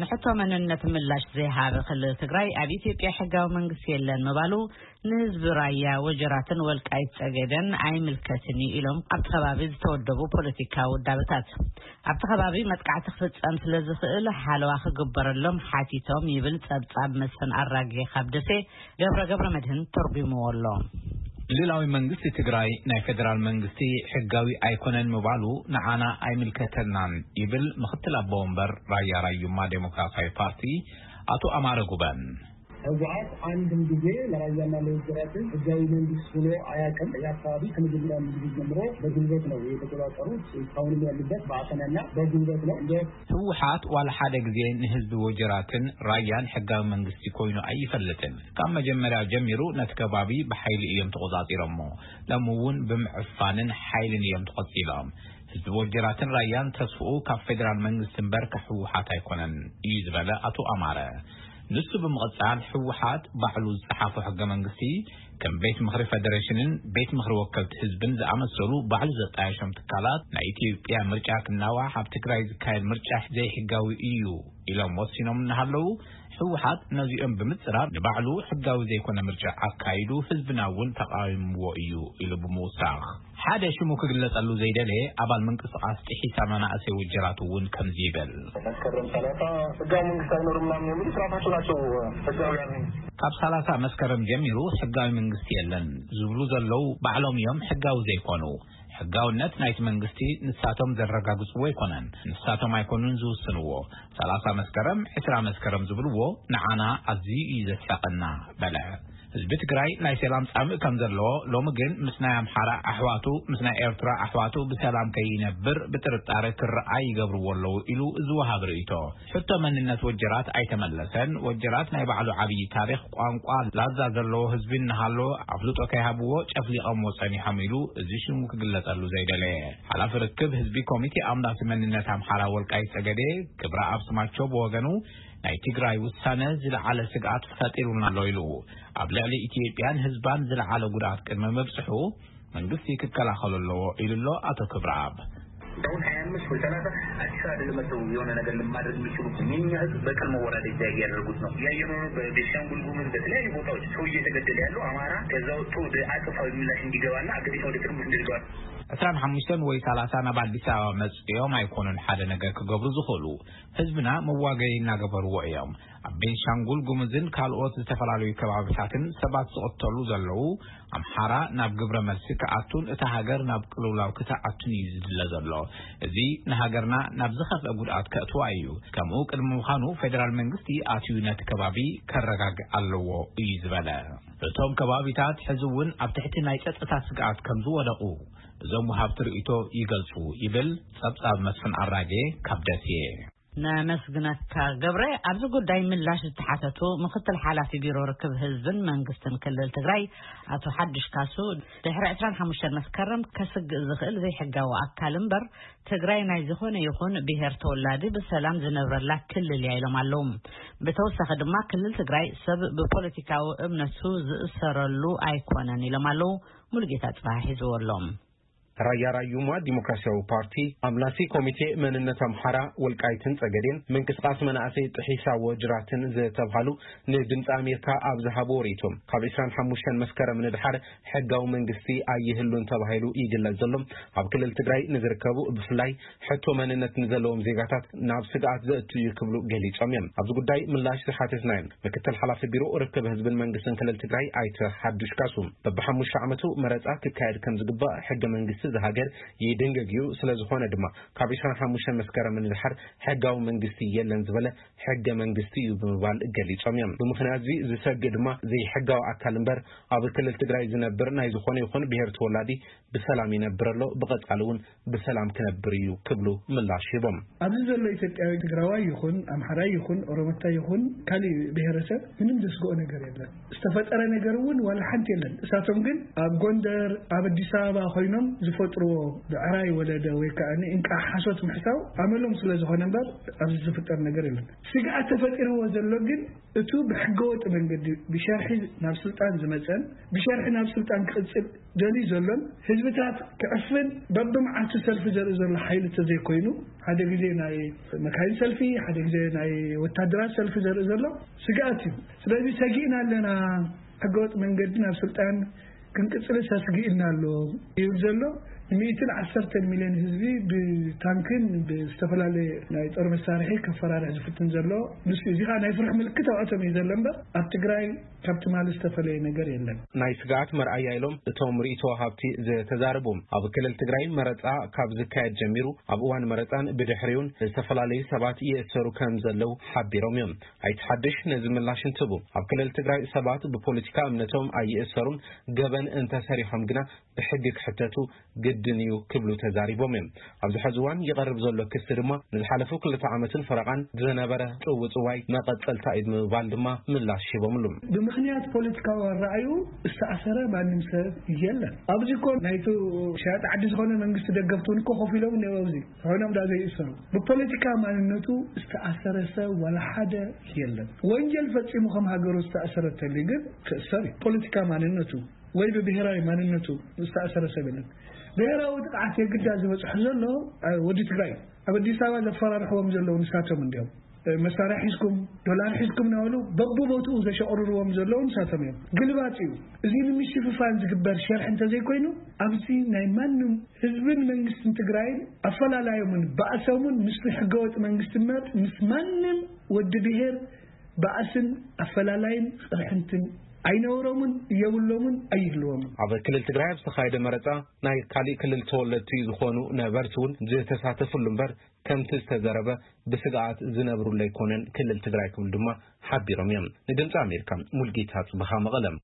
ንሕቶ መንነት ምላሽ ዘይሃበ ክልል ትግራይ ኣብ ኢትዮጵያ ሕጋዊ መንግስቲ የለን ምባሉ፣ ንህዝቢ ራያ ወጀራትን ወልቃይት ጸገደን ኣይምልከትን እዩ ኢሎም ኣብቲ ከባቢ ዝተወደቡ ፖለቲካዊ ውዳበታት። ኣብቲ ከባቢ መጥቃዕቲ ክፍጸም ስለ ዝኽእል ሓለዋ ክግበረሎም ሓቲቶም ይብል ጸብጻብ መስፍን ኣራጌ ካብ ደሴ። ገብረ ገብረ መድህን ተርጉምዎ ኣሎ። ክልላዊ መንግስቲ ትግራይ ናይ ፌደራል መንግስቲ ሕጋዊ ኣይኮነን ምባሉ ንዓና ኣይምልከተናን ይብል ምኽትል ኣቦ ወንበር ራያ ራዩማ ዴሞክራሲያዊ ፓርቲ ኣቶ ኣማረ ጉበን። ህወሓት አንድም ጊዜ ለራያና ለወጀራትን ህጋዊ መንግስት ብሎ አያውቅም። ይህ አካባቢ ከመጀመሪያ ጊዜ ጀምሮ በጉልበት ነው የተቆጣጠሩት። እስካሁንም ያሉበት በአፈናና በጉልበት ነው። እንደ ህወሓት ዋላ ሓደ ግዜ ንህዝቢ ወጀራትን ራያን ሕጋዊ መንግስቲ ኮይኑ ኣይፈልጥን። ካብ መጀመርያ ጀሚሩ ነቲ ከባቢ ብሓይሊ እዮም ተቆጻጺሮሞ። ሎሚ እውን ብምዕፋንን ሓይልን እዮም ተቐጺሎም። ህዝቢ ወጀራትን ራያን ተስፍኡ ካብ ፌደራል መንግስቲ እምበር ካብ ህወሓት ኣይኮነን እዩ ዝበለ ኣቶ ኣማረ። ንሱ ብምቕጻል ህወሓት ባዕሉ ዝጸሓፎ ሕገ መንግስቲ ከም ቤት ምኽሪ ፌደሬሽንን ቤት ምኽሪ ወከልቲ ህዝብን ዝኣመሰሉ ባዕሉ ዘጣየሾም ትካላት ናይ ኢትዮጵያ ምርጫ ክናዋሕ ኣብ ትግራይ ዝካየድ ምርጫ ዘይሕጋዊ እዩ ኢሎም ወሲኖም እናሃለዉ ህወሓት ነዚኦም ብምጽራር ንባዕሉ ሕጋዊ ዘይኮነ ምርጫ ኣካይዱ ህዝብና እውን ተቃዊምዎ እዩ ኢሉ ብምውሳኽ ሓደ ሽሙ ክግለጸሉ ዘይደለየ ኣባል ምንቅስቃስ ጥሒሳ መናእሰይ ውጀራት እውን ከምዚ ይብል። መስከረም ሰላሳ ህጋዊ መንግስት አይኖርም ምናምን የሚሉ ስርዓቶች ናቸው ህጋውያን። ካብ ሰላሳ መስከረም ጀሚሩ ሕጋዊ መንግስቲ የለን ዝብሉ ዘለዉ ባዕሎም እዮም ሕጋዊ ዘይኮኑ። ሕጋውነት ናይቲ መንግስቲ ንሳቶም ዘረጋግጽዎ ኣይኮነን። ንሳቶም ኣይኮኑን ዝውስንዎ። ሰላሳ መስከረም፣ ዕስራ መስከረም ዝብልዎ ንዓና ኣዝዩ እዩ ዘስሕቐና በለ። ህዝቢ ትግራይ ናይ ሰላም ጻምእ ከም ዘለዎ፣ ሎሚ ግን ምስ ናይ ኣምሓራ ኣሕዋቱ፣ ምስ ናይ ኤርትራ ኣሕዋቱ ብሰላም ከይነብር ብጥርጣረ ክረኣ ይገብርዎ ኣለዉ ኢሉ እዚ ወሃቢ ርእይቶ። ሕቶ መንነት ወጀራት ኣይተመለሰን። ወጀራት ናይ ባዕሉ ዓብዪ ታሪኽ፣ ቋንቋ፣ ላዛ ዘለዎ ህዝቢ እናሃለዎ ኣፍልጦ ከይሃብዎ ጨፍሊቐምዎ ጸኒሖም ኢሉ እዚ ሽሙ ክግለጸሉ ዘይደለየ ሓላፊ ርክብ ህዝቢ ኮሚቴ ኣምላሲ መንነት ኣምሓራ ወልቃይት ጸገዴ ክብረኣብ ስማቸው ብወገኑ ናይ ትግራይ ውሳነ ዝለዓለ ስግኣት ፈጢሩልና ኣሎ ኢሉ ኣብ ልዕሊ ኢትዮጵያን ህዝባን ዝለዓለ ጉድኣት ቅድሚ ምብጽሑ መንግስቲ ክከላኸሎ ኣለዎ ኢሉ ኣሎ ኣቶ ክብረኣብ። አሁን ሃያ አምስት ወይ ሰላሳ አዲስ አበባ አይደለም መጥተው የሆነ ነገር ማድረግ የሚችሉት። የኛ ህዝብ በቀል መወራደጃ እያደረጉት ነው። እያየነው ነው። በቤንሻንጉል ጉሙዝ በተለያዩ ቦታዎች ሰው እየተገደለ ያለው አማራ ከዛ ወጥቶ ወደ አጸፋዊ ምላሽ እንዲገባና አገሪቷ ወደ ትርምስ እንድትገባ። ዕስራን ሓሙሽተን ወይ ሰላሳ ናብ ኣዲስ ኣበባ መጽዮም ኣይኮኑን ሓደ ነገር ክገብሩ ዝኽእሉ። ህዝብና መዋገይ እናገበርዎ እዮም። ኣብ ቤንሻንጉል ጉሙዝን ካልኦት ዝተፈላለዩ ከባቢታትን ሰባት ዝቕተሉ ዘለዉ፣ ኣምሓራ ናብ ግብረ መልሲ ክኣቱን እታ ሃገር ናብ ቅልውላው ክትኣቱን እዩ ዝድለ ዘሎ። እዚ ንሃገርና ናብ ዝኸፍአ ጉድኣት ከእትዋ እዩ። ከምኡ ቅድሚ ምዃኑ ፌደራል መንግስቲ ኣትዩ ነቲ ከባቢ ከረጋግእ ኣለዎ እዩ ዝበለ። እቶም ከባቢታት ሕዚ እውን ኣብ ትሕቲ ናይ ጸጥታ ስግኣት ከም ዝወደቑ እዞም ወሃብቲ ርእይቶ ይገልጹ ይብል ጸብጻብ መስፍን ኣራጌ ካብ ደሴ። ነመስግነካ ገብረ። ኣብዚ ጉዳይ ምላሽ ዝተሓተቱ ምክትል ሓላፊ ቢሮ ርክብ ህዝብን መንግስትን ክልል ትግራይ ኣቶ ሓዱሽ ካሱ፣ ድሕሪ ዕስራን ሓሙሽተን መስከረም ከስግእ ዝኽእል ዘይሕጋዊ ኣካል እምበር ትግራይ ናይ ዝኾነ ይኹን ብሄር ተወላዲ ብሰላም ዝነብረላ ክልል እያ ኢሎም ኣለዉ። ብተወሳኺ ድማ ክልል ትግራይ ሰብ ብፖለቲካዊ እምነቱ ዝእሰረሉ ኣይኮነን ኢሎም ኣለዉ። ሙሉጌታ ጽባሕ ሒዝዎ ኣሎ። ራያ ራዩማ ዲሞክራሲያዊ ፓርቲ፣ ኣምላሲ ኮሚቴ መንነት ኣምሓራ፣ ወልቃይትን ጸገዴን፣ ምንቅስቃስ መናእሰይ ጥሒሳ ወጅራትን ዝተብሃሉ ንድምፂ ኣሜሪካ ኣብ ዝሃብዎ ርእይቶ፣ ካብ ዕስራን ሓሙሽተን መስከረም ንድሓር ሕጋዊ መንግስቲ ኣይህሉን ተባሂሉ ይግለጽ ዘሎ ኣብ ክልል ትግራይ ንዝርከቡ ብፍላይ ሕቶ መንነት ንዘለዎም ዜጋታት ናብ ስግኣት ዘእቱ እዩ ክብሉ ገሊጾም እዮም። ኣብዚ ጉዳይ ምላሽ ዝሓተትናዮም ምክትል ሓላፊ ቢሮ ርክብ ህዝብን መንግስትን ክልል ትግራይ ኣይተ ሓዱሽ ካሱ፣ በብሓሙሽተ ዓመቱ መረፃ ክካየድ ከም ዝግባእ ሕገ መንግስቲ እዚ ሃገር ይድንግግ እዩ። ስለ ዝኾነ ድማ ካብ ዕስራን ሓሙሽተን መስከረም ንድሓር ሕጋዊ መንግስቲ የለን ዝበለ ሕገ መንግስቲ እዩ ብምባል ገሊጾም እዮም። ብምኽንያት እዚ ዝሰግእ ድማ ዘይሕጋዊ ኣካል እምበር ኣብ ክልል ትግራይ ዝነብር ናይ ዝኾነ ይኹን ብሄር ተወላዲ ብሰላም ይነብር ኣሎ፣ ብቐጻሊ እውን ብሰላም ክነብር እዩ ክብሉ ምላሽ ሂቦም። ኣብዚ ዘሎ ኢትዮጵያዊ ትግራዋይ ይኹን ኣምሓራይ ይኹን ኦሮሞታይ ይኹን ካሊእ ብሄረሰብ ምንም ዘስግኦ ነገር የለን። ዝተፈጠረ ነገር እውን ዋላ ሓንቲ የለን። እሳቶም ግን ኣብ ጎንደር፣ ኣብ ኣዲስ ኣበባ ኮይኖም ፈጥርዎ ብዕራይ ወለደ ወይ ከዓ እንቃ ሓሶት ምሕሳው ኣመሎም ስለ ዝኾነ እምበር ኣብዚ ዝፍጠር ነገር የለን። ስግኣት ተፈጢርዎ ዘሎ ግን እቱ ብሕገወጥ መንገዲ ብሸርሒ ናብ ስልጣን ዝመፀን ብሸርሒ ናብ ስልጣን ክቕፅል ደልዩ ዘሎን ህዝብታት ክዕፍን በብመዓልቱ ሰልፊ ዘርኢ ዘሎ ሓይሊ ተዘይኮይኑ ሓደ ግዜ ናይ መካይን ሰልፊ ሓደ ግዜ ናይ ወታደራት ሰልፊ ዘርኢ ዘሎ ስግኣት እዩ። ስለዚ ሰጊእና ኣለና፣ ሕገወጥ መንገዲ ናብ ስልጣን ክንቅፅል ሰስጊእና ኣሎ ይብል ዘሎ። ሚእትን ዓሰርተን ሚልዮን ህዝቢ ብታንክን ብዝተፈላለየ ናይ ጦር መሳርሒ ከፈራርሕ ዝፍትን ዘሎ ንሱ እዚ ከዓ ናይ ፍርሒ ምልክት ኣውዕቶም እዩ ዘሎ እምበር ኣብ ትግራይ ካብ ትማሊ ዝተፈለየ ነገር የለን። ናይ ስግኣት መርኣያ ኢሎም እቶም ርእይቶ ሃብቲ ዝተዛረቡ ኣብ ክልል ትግራይ መረፃ ካብ ዝካየድ ጀሚሩ ኣብ እዋን መረፃን ብድሕሪውን ዝተፈላለዩ ሰባት ይእሰሩ ከም ዘለዉ ሓቢሮም እዮም። ኣይትሓድሽ ነዚ ምላሽ እንትቡ ኣብ ክልል ትግራይ ሰባት ብፖለቲካ እምነቶም ኣይእሰሩን፣ ገበን እንተሰሪሖም ግና ብሕጊ ክሕተቱ ግድን እዩ ክብሉ ተዛሪቦም እዮም። ኣብዚ ሕዚ እዋን ይቐርብ ዘሎ ክሲ ድማ ንዝሓለፉ ክልተ ዓመትን ፈረቓን ዝነበረ ጽውጽዋይ መቐጸልታ እዩ ብምባል ድማ ምላሽ ሂቦምሉ። ብምኽንያት ፖለቲካዊ ኣረኣዩ ዝተኣሰረ ማንም ሰብ የለን። ኣብዚ እኮ ናይቱ ሸያጢ ዓዲ ዝኾነ መንግስቲ ደገፍቲ እውን እኮ ኮፍ ኢሎም እኒአው ኣብዚ ኮይኖም ዳ ዘይእሰሩ። ብፖለቲካ ማንነቱ ዝተኣሰረ ሰብ ዋላ ሓደ የለን። ወንጀል ፈጺሙ ከም ሃገሩ ዝተኣሰረ ተልዩ ግን ክእሰር እዩ። ፖለቲካ ማንነቱ ወይ ብብሔራዊ ማንነቱ ዝተኣሰረ ሰብ የለን። ብሔራዊ ጥቕዓት የግዳ ዝበፅሑ ዘሎ እ፣ ወዲ ትግራይ ኣብ ኣዲስ ኣበባ ዘፈራርሕዎም ዘለዉ ንሳቶም እንዲኦም። እ፣ መሳርያ ሒዝኩም ዶላር ሒዝኩም እናበሉ በብቦትኡ ዘሸቕርርዎም ዘለዉ ንሳቶም እዮም። ግልባጥ እዩ። እዚ ንምሽፍፋን ዝግበር ሸርሒ እንተዘይኮይኑ ኣብዚ ናይ ማንም ህዝብን መንግስትን ትግራይን ኣፈላላዮምን ባእሶምን ምስ ሕገወጥ መንግስቲ እምበር ምስ ማንም ወዲ ብሔር ባእስን ኣፈላላይን ቅርሕንትን ኣይነበሮምን የብሎምን ኣይህልዎምን። ኣብ ክልል ትግራይ ኣብ ዝተኻየደ መረፃ ናይ ካሊእ ክልል ተወለድቲ ዝኾኑ ነበርቲ እውን ዝተሳተፍሉ እምበር ከምቲ ዝተዘረበ ብስግኣት ዝነብሩሉ ኣይኮነን ክልል ትግራይ ክብሉ ድማ ሓቢሮም እዮም። ንድምፂ ኣሜሪካ ሙልጌታ ጽብኻ መቐለም።